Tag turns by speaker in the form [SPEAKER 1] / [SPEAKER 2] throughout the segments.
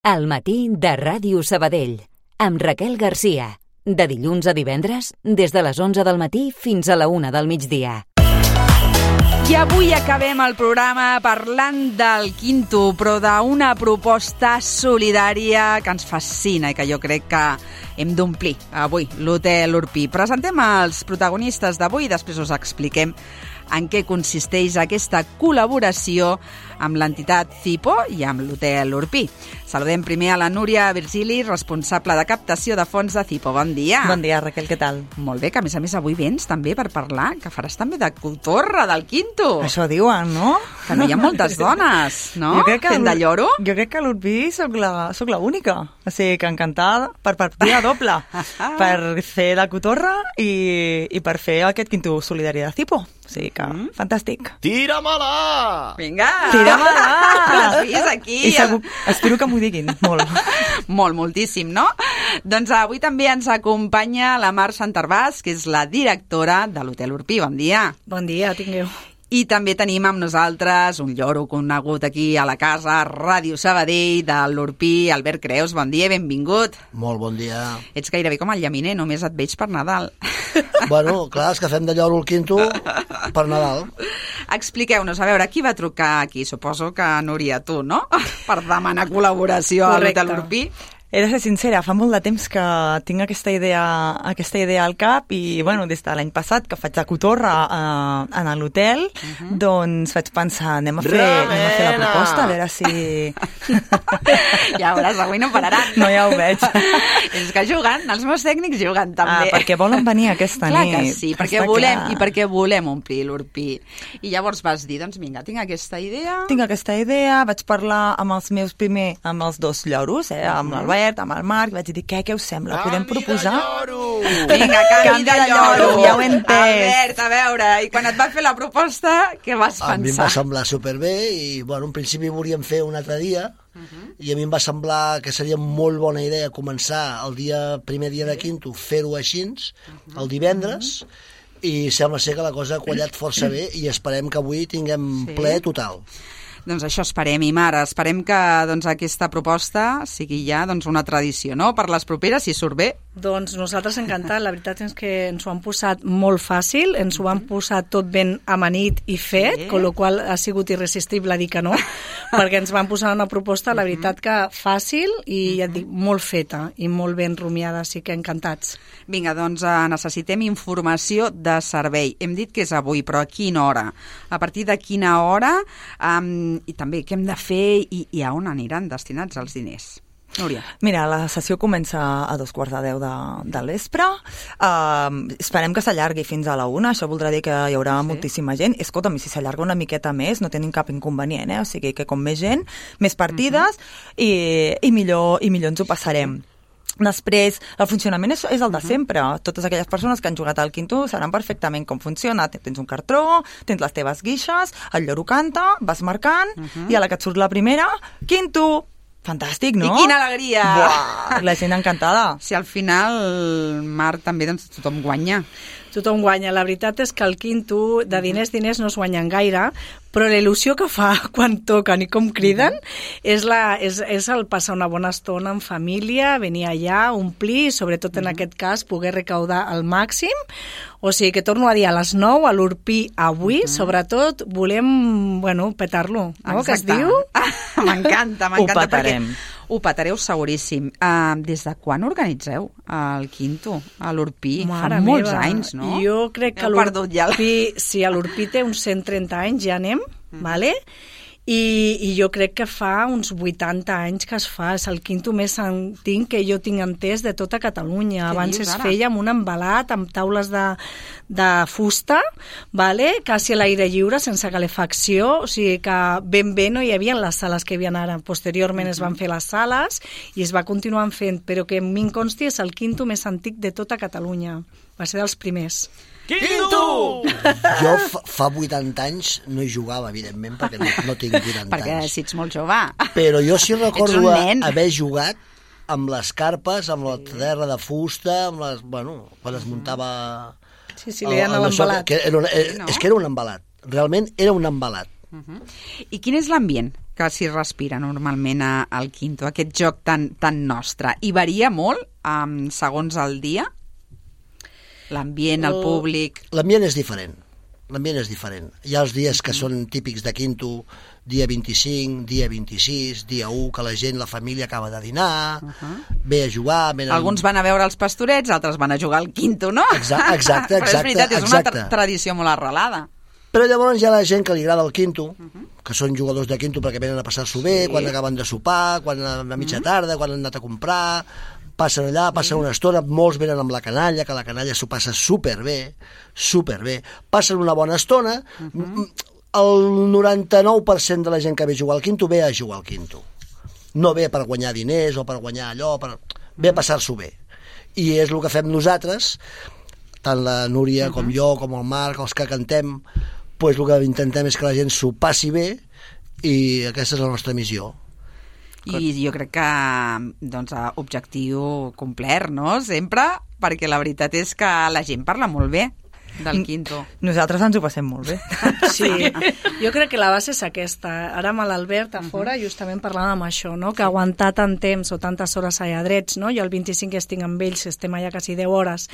[SPEAKER 1] Al matí de Ràdio Sabadell, amb Raquel Garcia. De dilluns a divendres, des de les 11 del matí fins a la 1 del migdia.
[SPEAKER 2] I avui acabem el programa parlant del Quinto, però d'una proposta solidària que ens fascina i que jo crec que hem d'omplir avui, l'Hotel Urpí. Presentem els protagonistes d'avui i després us expliquem en què consisteix aquesta col·laboració amb l'entitat CIPO i amb l'Hotel Urpí. Saludem primer a la Núria Virgili, responsable de captació de fons de CIPO. Bon dia.
[SPEAKER 3] Bon dia, Raquel, què tal?
[SPEAKER 2] Molt bé, que a més avui vens també per parlar, que faràs també de cotorra del Quinto.
[SPEAKER 3] Això diuen, no?
[SPEAKER 2] Que no hi ha moltes dones, no? Fent de lloro.
[SPEAKER 3] Jo crec que a l'Urpí soc l'única. O sigui, que encantada per partida doble. Per fer la cotorra i per fer aquest Quinto solidari de CIPO. O sigui que, fantàstic.
[SPEAKER 2] Tira-me-la! Vinga!
[SPEAKER 3] Tira-me-la!
[SPEAKER 2] Les filles aquí.
[SPEAKER 3] I segur, espero que m'ho diguin, molt.
[SPEAKER 2] Moltíssim, no? Doncs avui també ens acompanya la Mar Santarvàs, que és la directora de l'Hotel Urpí. Bon dia.
[SPEAKER 4] Bon dia, tingueu.
[SPEAKER 2] I també tenim amb nosaltres un lloro conegut aquí a la casa, Ràdio Sabadell, de l'Urpí, Albert Creus. Bon dia i benvingut.
[SPEAKER 5] Molt bon dia.
[SPEAKER 2] Ets gairebé com el llaminer, només et veig per Nadal.
[SPEAKER 5] Bueno, clar, és que fem de lloro el Quinto per Nadal.
[SPEAKER 2] Expliqueu-nos, a veure, qui va trucar aquí? Suposo que Núria, tu, no? Per demanar col·laboració a l'Hotel Urpí.
[SPEAKER 3] He de ser sincera, fa molt de temps que tinc aquesta idea al cap i, bueno, des de l'any passat que faig de cotorra en l'hotel, doncs vaig pensar, anem a fer la proposta, a veure si...
[SPEAKER 2] Ja veuràs, avui no pararan.
[SPEAKER 3] No, ja ho veig.
[SPEAKER 2] És que juguen, els meus tècnics juguen també.
[SPEAKER 3] Perquè volen venir aquesta nit.
[SPEAKER 2] Clar que sí, perquè volem omplir l'Urpí. I llavors vas dir, doncs vinga, tinc aquesta idea,
[SPEAKER 3] vaig parlar amb els meus amb els dos lloros, amb l'Albert, amb el Marc, vaig dir, què us sembla? Podem proposar?
[SPEAKER 2] Vinga, canvi de lloro!
[SPEAKER 3] Ja ho he entès!
[SPEAKER 2] Albert, a veure, i quan et va fer la proposta, què vas pensar?
[SPEAKER 5] A mi em va semblar superbé i, bueno, en principi volíem fer un altre dia i a mi em va semblar que seria molt bona idea començar el primer dia de Quinto, fer-ho així, el divendres, i sembla ser que la cosa ha quallat força bé i esperem que avui tinguem ple total.
[SPEAKER 2] Doncs això esperem, i Mara, esperem que aquesta proposta sigui ja una tradició, no? Per les properes, si surt bé.
[SPEAKER 4] Doncs nosaltres encantat, la veritat és que ens ho han posat molt fàcil, ens ho han posat tot ben amanit i fet, con lo qual ha sigut irresistible dir que no, perquè ens van posar una proposta, la veritat que fàcil i ja et dic, molt feta i molt ben rumiada, així que encantats.
[SPEAKER 2] Vinga, doncs necessitem informació de servei. Hem dit que és avui, però a quina hora? A partir de quina hora? I també què hem de fer i a on aniran destinats els diners? Núria.
[SPEAKER 3] Mira, la sessió comença a 2:15 del vespre. Esperem que s'allargui fins a la 1. Això voldrà dir que hi haurà moltíssima gent. Escolta'm, si s'allarga una miqueta més, no tenim cap inconvenient, O sigui que com més gent, més partides i millor ens ho passarem. Després, el funcionament és el de sempre. Totes aquelles persones que han jugat al Quinto saben perfectament com funciona. Tens un cartró, tens les teves guixes, el lloro canta, vas marcant, i a la que et surt la primera, Quinto! Fantàstic, no?
[SPEAKER 2] I quina alegria!
[SPEAKER 3] Buah, la gent encantada.
[SPEAKER 2] Si al final, Marc, també tothom guanya.
[SPEAKER 4] Tothom guanya. La veritat és que el Quinto, de diners no es guanyen gaire, però la il·lusió que fa quan toquen i com criden és el passar una bona estona en família, venir allà, omplir, i sobretot en aquest cas poder recaudar al màxim. O sigui que torno a dir, a les 9 a l'Urpí avui, sobretot volem, petar-lo, no? Que es diu?
[SPEAKER 2] M'encanta.
[SPEAKER 3] Ho petarem.
[SPEAKER 2] Ho petareu seguríssim. Des de quan organitzeu el Quinto a l'Urpí? Fa molts anys, no?
[SPEAKER 4] Jo crec que l'Urpí, si a l'Urpí té uns 130 anys, ja anem, vale? I jo crec que fa uns 80 anys que es fa. És el Quinto més antic que jo tinc entès de tota Catalunya. Abans es feia amb un embalat, amb taules de fusta, vale? Quasi a l'aire lliure, sense calefacció, o sigui que ben bé no hi havia les sales que hi havia ara. Posteriorment es van fer les sales i es va continuar fent, però que en mi em consti és el Quinto més antic de tota Catalunya. Va ser dels primers.
[SPEAKER 5] Quinto! Jo fa 80 anys no hi jugava, evidentment, perquè no tinc 80 anys.
[SPEAKER 2] Perquè si ets molt jove.
[SPEAKER 5] Però jo sí recordo haver jugat amb les carpes, amb la terra de fusta, amb les, quan es muntava...
[SPEAKER 4] Sí, li deien a l'embalat.
[SPEAKER 5] És que era un embalat. Realment era un embalat.
[SPEAKER 2] I quin és l'ambient que s'hi respira normalment al Quinto, aquest joc tan nostre? I varia molt segons el dia? L'ambient, el públic...
[SPEAKER 5] L'ambient és diferent. Hi ha els dies que són típics de Quinto, dia 25, dia 26, dia 1, que la gent, la família acaba de dinar, ve a jugar...
[SPEAKER 2] Alguns van a veure els pastorets, altres van a jugar al Quinto, no?
[SPEAKER 5] Exacte.
[SPEAKER 2] Però és veritat, és una tradició molt arrelada.
[SPEAKER 5] Però llavors hi ha la gent que li agrada el Quinto, que són jugadors de Quinto perquè venen a passar-s'ho bé, quan acaben de sopar, quan a mitja tarda, quan han anat a comprar... Passen allà, passen una estona, molts venen amb la canalla, que la canalla s'ho passa superbé, passen una bona estona, el 99% de la gent que ve a jugar al Quinto ve a jugar al Quinto. No ve per guanyar diners o per guanyar allò, ve a passar-s'ho bé. I és el que fem nosaltres, tant la Núria com jo, com el Marc, els que cantem, doncs el que intentem és que la gent s'ho passi bé i aquesta és la nostra missió.
[SPEAKER 2] I jo crec que objectiu complert, no? Sempre, perquè la veritat és que la gent parla molt bé del Quinto.
[SPEAKER 3] Nosaltres ens ho passem molt bé.
[SPEAKER 4] Sí, jo crec que la base és aquesta. Ara amb l'Albert a fora justament parlàvem això, no? Que aguantar tant temps o tantes hores allà drets, no? Jo el 25 estic amb ells, estem allà quasi 10 hores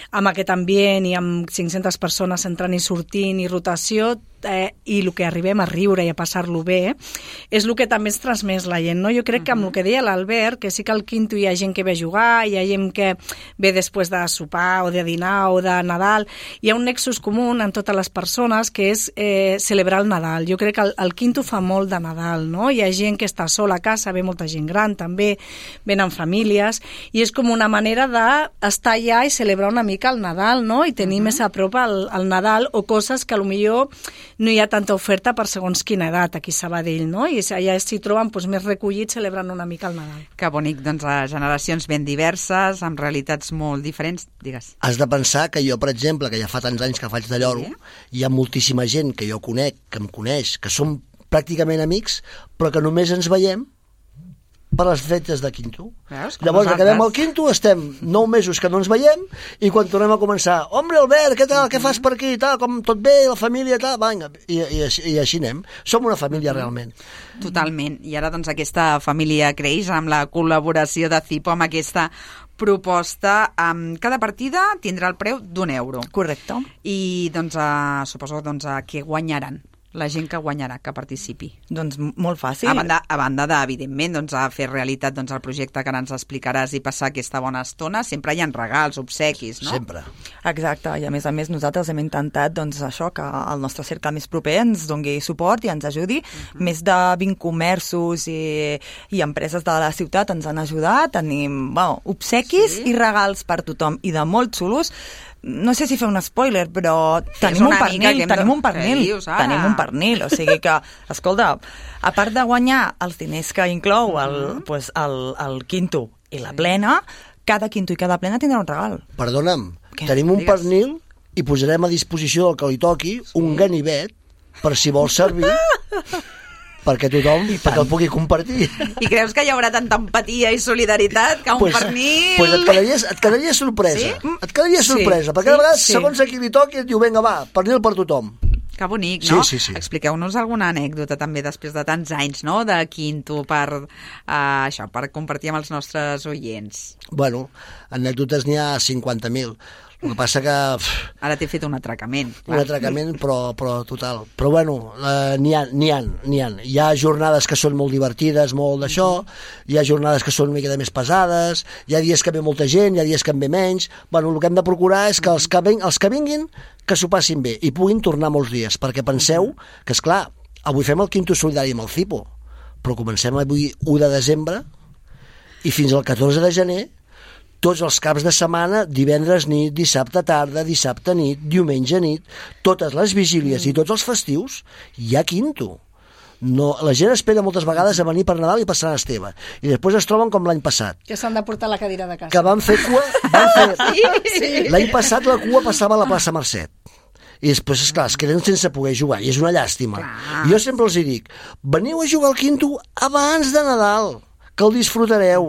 [SPEAKER 4] amb aquest ambient i amb 500 persones entrant i sortint i rotació, i el que arribem a riure i a passar-lo bé és el que també ens transmès la gent, no? Jo crec que amb el que deia l'Albert, que sí que al Quinto hi ha gent que ve a jugar, hi ha gent que ve després de sopar o de dinar o de Nadal, hi ha un nexus comú en totes les persones que és celebrar el Nadal. Jo crec que el Quinto fa molt de Nadal, no? Hi ha gent que està sola a casa, ve molta gent gran també, venen famílies, i és com una manera d'estar allà i celebrar una mica el Nadal, no? I tenir més a prop el Nadal, o coses que potser no hi ha tanta oferta per segons quina edat aquí a Sabadell, no? I allà s'hi troben més recollits celebrant una mica el Nadal.
[SPEAKER 2] Que bonic, doncs, generacions ben diverses, amb realitats molt diferents, digues.
[SPEAKER 5] Has de pensar que jo, per exemple, que ja fa tants anys que faig de lloro, hi ha moltíssima gent que jo conec, que em coneix, que som pràcticament amics, però que només ens veiem per les fetes de Quinto. Llavors, acabem el Quinto, estem 9 mesos que no ens veiem, i quan tornem a començar, hombre, Albert, què tal, què fas per aquí, tal, com tot bé, la família, tal, vinga, i així anem. Som una família realment.
[SPEAKER 2] Totalment, i ara doncs aquesta família creix amb la col·laboració de Cipo, amb aquesta proposta. Cada partida tindrà el preu d'€1.
[SPEAKER 3] Correcte.
[SPEAKER 2] I doncs suposo que guanyaran la gent que guanyarà, que participi.
[SPEAKER 3] Doncs molt fàcil.
[SPEAKER 2] A banda evidentment, a fer realitat el projecte que ara ens explicaràs i passar aquesta bona estona, sempre hi ha regals, obsequis, no?
[SPEAKER 5] Sempre.
[SPEAKER 3] Exacte, i a més nosaltres hem intentat això, que el nostre cercle més proper ens doni suport i ens ajudi. Més de 20 comerços i empreses de la ciutat ens han ajudat. Tenim obsequis i regals per tothom, i de molt xulos. No sé si fer un spoiler, però tenim un pernil, o sigui que, escolta, a part de guanyar els diners que inclou el Quinto i la plena, cada Quinto i cada plena tindrà un regal.
[SPEAKER 5] Perdona'm, tenim un pernil i posarem a disposició del que li toqui un ganivet per si vol servir perquè tothom perquè el pugui compartir.
[SPEAKER 2] I creus que hi haurà tanta empatia i solidaritat que un pernil...
[SPEAKER 5] Doncs et quedaria sorpresa. Sí? Et quedaria sorpresa, perquè a vegades, segons a qui li toqui, et diu, vinga, va, pernil per tothom.
[SPEAKER 2] Que bonic, no?
[SPEAKER 5] Sí.
[SPEAKER 2] Expliqueu-nos alguna anècdota també després de tants anys, no?, de Quinto per compartir amb els nostres oients.
[SPEAKER 5] Bueno, anècdotes n'hi ha 50.000. El que passa que...
[SPEAKER 2] Ara t'he fet un atracament.
[SPEAKER 5] Un atracament, però total. Però bueno, n'hi ha. Hi ha jornades que són molt divertides, molt d'això, hi ha jornades que són una mica més pesades, hi ha dies que ve molta gent, hi ha dies que en ve menys. Bueno, el que hem de procurar és que els que vinguin, que s'ho passin bé i puguin tornar molts dies, perquè penseu que, esclar, avui fem el Quinto solidari amb el Cipo, però comencem avui 1 de desembre i fins al 14 de gener tots els caps de setmana, divendres nit, dissabte tarda, dissabte nit, diumenge nit, totes les vigílies i tots els festius, hi ha Quinto. No, la gent espera moltes vegades a venir per Nadal i per Sant Esteve, i després es troben com l'any passat.
[SPEAKER 4] Que s'han de portar la cadira de casa.
[SPEAKER 5] Que van fer cua... L'any passat la cua passava a la plaça Mercet. I després, esclar, es queden sense poder jugar, i és una llàstima. I jo sempre els dic, veniu a jugar al Quinto abans de Nadal, que el disfrutareu,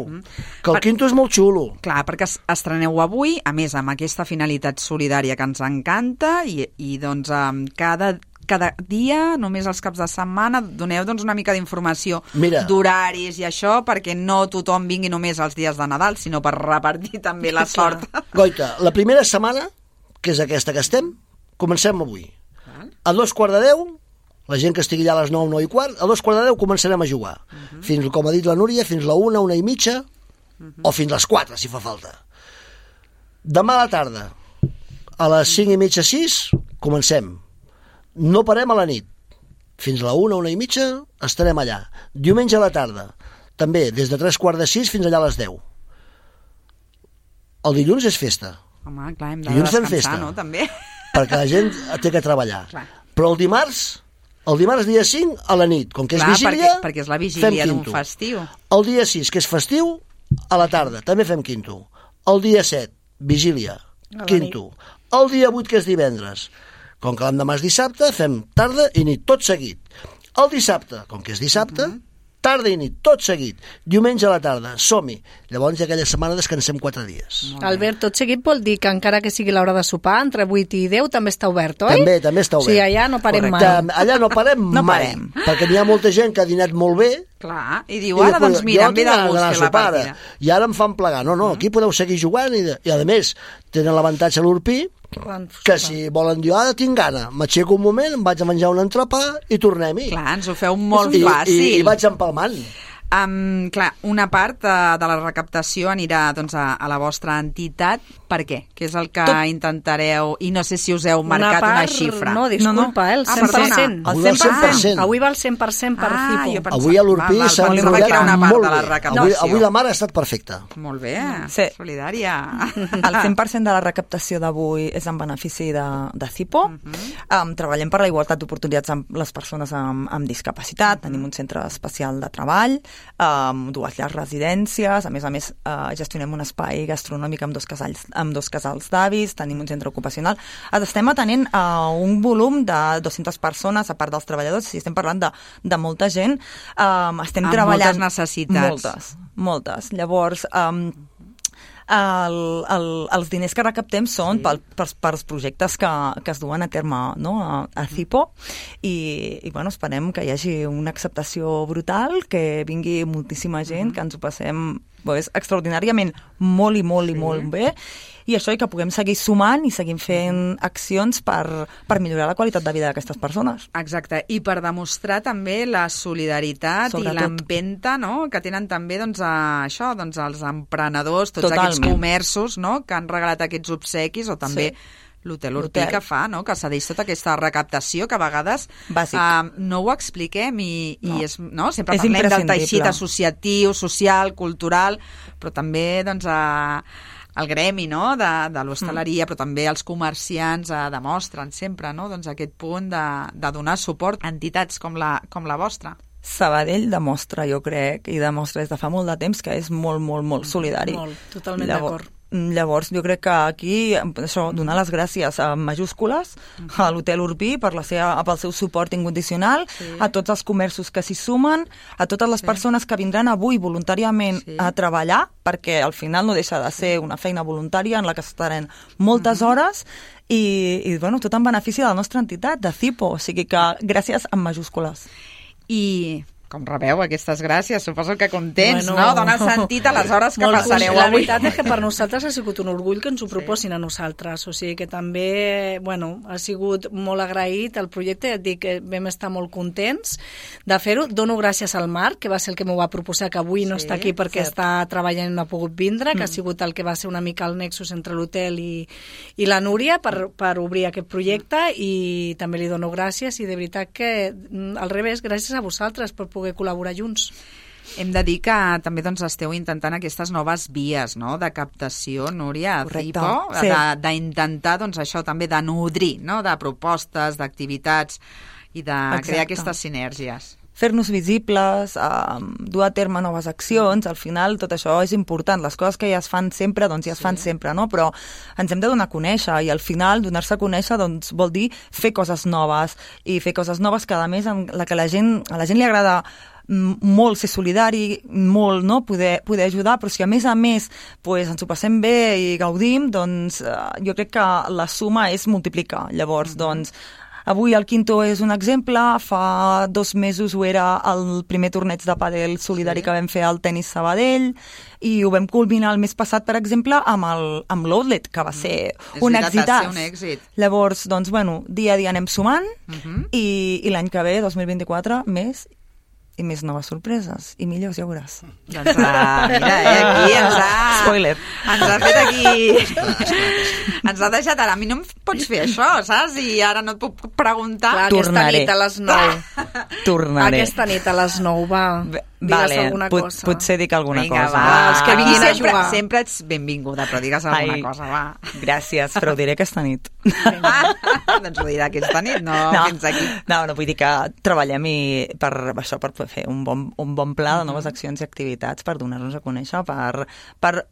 [SPEAKER 5] que el Quinto és molt xulo.
[SPEAKER 2] Clar, perquè estreneu avui, a més, amb aquesta finalitat solidària que ens encanta, i doncs cada cada dia, només els caps de setmana? Doneu doncs una mica d'informació d'horaris i això, perquè no tothom vingui només els dies de Nadal, sinó per repartir també la sort.
[SPEAKER 5] Goita, la primera setmana, que és aquesta que estem, comencem avui. A 9:45, la gent que estigui allà a les 9, 9:15, a 9:15 començarem a jugar. Fins, com ha dit la Núria, fins la 1, 1:30, o fins les 4, si fa falta. Demà a la tarda, a les 5:30, 6, comencem. No parem a la nit. Fins a la 1, 1:30 estarem allà. Diumenge a la tarda, també, des de 3:15 fins allà a les 10. El dilluns és festa.
[SPEAKER 2] Home, clar, hem de descansar, no?, també.
[SPEAKER 5] Perquè la gent té que treballar. Clar. Però el dimarts dia 5 a la nit, com que és vigília,
[SPEAKER 2] perquè és la vigília d'un festiu.
[SPEAKER 5] El dia 6, que és festiu, a la tarda, també fem quinto. El dia 7, vigília, quinto. El dia 8, que és divendres, com que l'endemà és dissabte, fem tarda i nit, tot seguit. El dissabte, com que és dissabte, tarda i nit, tot seguit. Diumenge a la tarda, som-hi. Llavors, aquella setmana descansem 4 dies.
[SPEAKER 4] Albert, tot seguit vol dir que encara que sigui l'hora de sopar, entre 8 i 10 també està obert, oi?
[SPEAKER 5] També està obert.
[SPEAKER 4] O sigui, allà no parem mai.
[SPEAKER 5] Allà no parem mai, perquè n'hi ha molta gent que ha dinat molt bé.
[SPEAKER 2] Clar, i diu, ara doncs mira, em ve de gust fer la partida.
[SPEAKER 5] I ara em fan plegar. No, aquí podeu seguir jugant i a més, tenen l'avantatge a l'Urpí, que si volen dir, ara tinc gana, m'aixeco un moment, em vaig a menjar un entrepà i tornem-hi.
[SPEAKER 2] Clar, ens ho feu molt fàcil.
[SPEAKER 5] I vaig empalmant.
[SPEAKER 2] Clar, una part de la recaptació anirà doncs, a la vostra entitat. Per què? Què és el que intentareu? I no sé si us heu marcat una xifra.
[SPEAKER 4] No, disculpa, el 100%.
[SPEAKER 5] El 100%.
[SPEAKER 4] Avui va el 100% per Cipo.
[SPEAKER 5] Avui a l'Urpí s'ha treballat molt bé. Avui la mare ha estat perfecta.
[SPEAKER 2] Molt bé, solidària.
[SPEAKER 3] El 100% de la recaptació d'avui és en benefici de Cipo. Treballem per la igualtat d'oportunitats amb les persones amb discapacitat. Tenim un centre especial de treball, 2 llars residències, a més gestionem un espai gastronòmic amb 2 casals d'avis, tenim un centre ocupacional. Estem atenent a un volum de 200 persones, a part dels treballadors, si estem parlant de molta gent. Estem treballant...
[SPEAKER 2] Moltes necessitats.
[SPEAKER 3] Moltes. Llavors, els diners que recaptem són pels projectes que es duen a terme, no? a Cipo, i bueno, esperem que hi hagi una acceptació brutal, que vingui moltíssima gent, que ens ho passem extraordinàriament molt i molt bé, i això, i que puguem seguir sumant i seguim fent accions per millorar la qualitat de vida d'aquestes persones.
[SPEAKER 2] Exacte, i per demostrar també la solidaritat i l'empenta, no?, que tenen també això, els emprenedors, tots aquests comerços, no?, que han regalat aquests obsequis, o també l'Hotel Urpí que fa, no?, que cedeix tota aquesta recaptació, que a vegades no ho expliquem i sempre parlem del teixit associatiu, social, cultural, però també el gremi, no?, de l'hostaleria, però també els comerciants demostren sempre, no?, aquest punt de donar suport a entitats com la vostra.
[SPEAKER 3] Sabadell demostra, jo crec, i demostra des de fa molt de temps, que és molt solidari.
[SPEAKER 4] Molt, totalment d'acord.
[SPEAKER 3] Llavors, jo crec que aquí, donar les gràcies a majúscules a l'Hotel Urpí pel seu suport incondicional, a tots els comerços que s'hi sumen, a totes les persones que vindran avui voluntàriament a treballar, perquè al final no deixa de ser una feina voluntària en la que estarem moltes hores, i tot en benefici de la nostra entitat, de Cipo, o sigui que gràcies amb majúscules.
[SPEAKER 2] I com rebeu aquestes gràcies? Suposo que contents, no? Dona sentit a les hores que passareu avui.
[SPEAKER 4] La veritat és que per nosaltres ha sigut un orgull que ens ho proposin a nosaltres, o sigui que també, ha sigut molt agraït el projecte, et dic que vam estar molt contents de fer-ho. Dono gràcies al Marc, que va ser el que m'ho va proposar, que avui no està aquí perquè està treballant i no ha pogut vindre, que ha sigut el que va ser una mica el nexus entre l'hotel i la Núria per obrir aquest projecte, i també li dono gràcies, i de veritat que al revés, gràcies a vosaltres per poder col·laborar junts.
[SPEAKER 2] Hem de dir que també esteu intentant aquestes noves vies, no?, de captació, Núria, a Cipo, d'intentar això també de nodrir, no?, de propostes, d'activitats i de crear aquestes sinergies.
[SPEAKER 3] Fer-nos visibles, dur a terme noves accions, al final tot això és important. Les coses que ja es fan sempre, ja es fan sempre, no? Però ens hem de donar a conèixer, i al final donar-se a conèixer vol dir fer coses noves, i fer coses noves que a més a la gent li agrada molt ser solidari, molt, no?, poder ajudar, però si a més ens ho passem bé i gaudim, jo crec que la suma és multiplicar. Llavors, Avui el Quinto és un exemple, fa 2 mesos ho era el primer torneig de pàdel solidari que vam fer al Tenis Sabadell, i ho vam culminar el mes passat, per exemple, amb l'Outlet, que va ser un èxit. Llavors, doncs, bueno, dia a dia anem sumant, i l'any que ve, 2024, més i més noves sorpreses, i millors, ja veuràs.
[SPEAKER 2] Doncs mira, aquí ens ha...
[SPEAKER 3] Spoiler.
[SPEAKER 2] Ens ha fet aquí... Ens ha deixat ara. A mi no em pots fer això, saps? I ara no et puc preguntar...
[SPEAKER 4] Clar, aquesta nit a les 9.
[SPEAKER 3] Tornaré.
[SPEAKER 4] Aquesta nit a les 9, va. Digues alguna cosa.
[SPEAKER 3] Potser dic alguna cosa.
[SPEAKER 2] Va.
[SPEAKER 4] Els que vinguin a jugar.
[SPEAKER 2] Sempre ets benvinguda, però digues alguna cosa, va.
[SPEAKER 3] Gràcies, però ho diré aquesta nit.
[SPEAKER 2] Doncs ho dirà aquesta nit, no fins aquí.
[SPEAKER 3] No, vull dir que treballem per fer un bon pla de noves accions i activitats per donar-nos a conèixer, per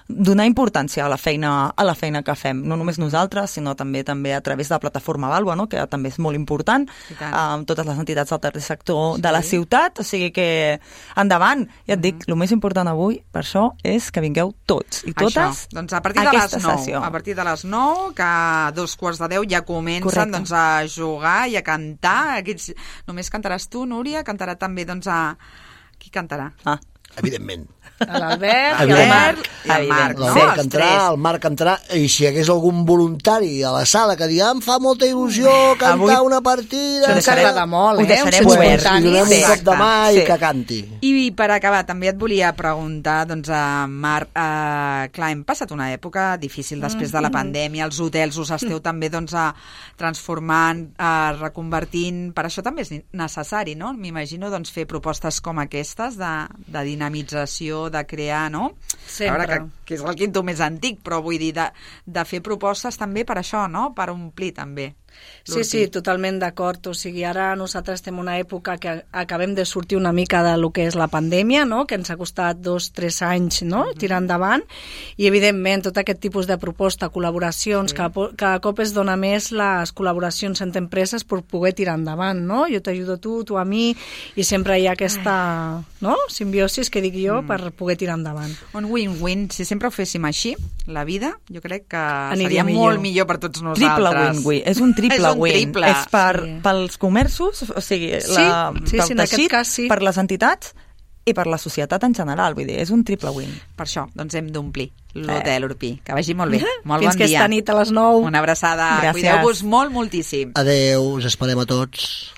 [SPEAKER 3] donar importància a la feina que fem, no només nosaltres, sinó també a través de la plataforma Vàlua, no? Que també és molt important, amb totes les entitats del tercer sector de la ciutat, o sigui que endavant, ja et dic, el més important avui, per això, és que vingueu tots i totes
[SPEAKER 2] doncs a partir de les 9, a partir de les 9, que a 9:45 ja comencen doncs, a jugar i a cantar. Només cantaràs tu, Núria? Cantarà també, doncs, qui cantarà?
[SPEAKER 5] Evidentment.
[SPEAKER 4] L'Albert i el Marc.
[SPEAKER 5] El Marc entrarà, i si hi hagués algun voluntari a la sala que digui em fa molta il·lusió cantar una partida...
[SPEAKER 4] Ens agrada molt,
[SPEAKER 3] ho deixarem
[SPEAKER 5] obert. Li donem un cop de mà i que canti.
[SPEAKER 2] I per acabar, també et volia preguntar, doncs, Marc, clar, hem passat una època difícil després de la pandèmia, els hotels us esteu també doncs, transformant, reconvertint, per això també és necessari, no? M'imagino doncs, fer propostes com aquestes de dinamització, de crear, no?
[SPEAKER 4] Sempre.
[SPEAKER 2] A veure, que és el Quinto més antic, però vull dir, de fer propostes també per això, no? Per omplir també.
[SPEAKER 4] Sí, totalment d'acord. O sigui, ara nosaltres estem en una època que acabem de sortir una mica de lo que és la pandèmia, no? Que ens ha costat 2-3 anys, no? Tirar endavant, i evidentment tot aquest tipus de proposta, col·laboracions, cada cop es dona més les col·laboracions entre empreses per poder tirar endavant, no? Jo t'ajudo tu a mi, i sempre hi ha aquesta simbiosis que dic jo per poder tirar endavant.
[SPEAKER 2] Un win-win. Si sempre ho féssim així, la vida, jo crec que seria molt millor per tots nosaltres.
[SPEAKER 3] Triple win-win. És un triple win. És pels comerços, o sigui, pel teixit, per les entitats i per la societat en general. Vull dir, és un triple win.
[SPEAKER 2] Per això, doncs hem d'omplir l'Hotel Urpí. Que vagi molt bé. Molt
[SPEAKER 4] Fins
[SPEAKER 2] bon dia.
[SPEAKER 4] Fins aquesta nit a les 9.
[SPEAKER 2] Una abraçada.
[SPEAKER 3] Gràcies.
[SPEAKER 2] Cuideu-vos moltíssim.
[SPEAKER 5] Adeu, us esperem a tots.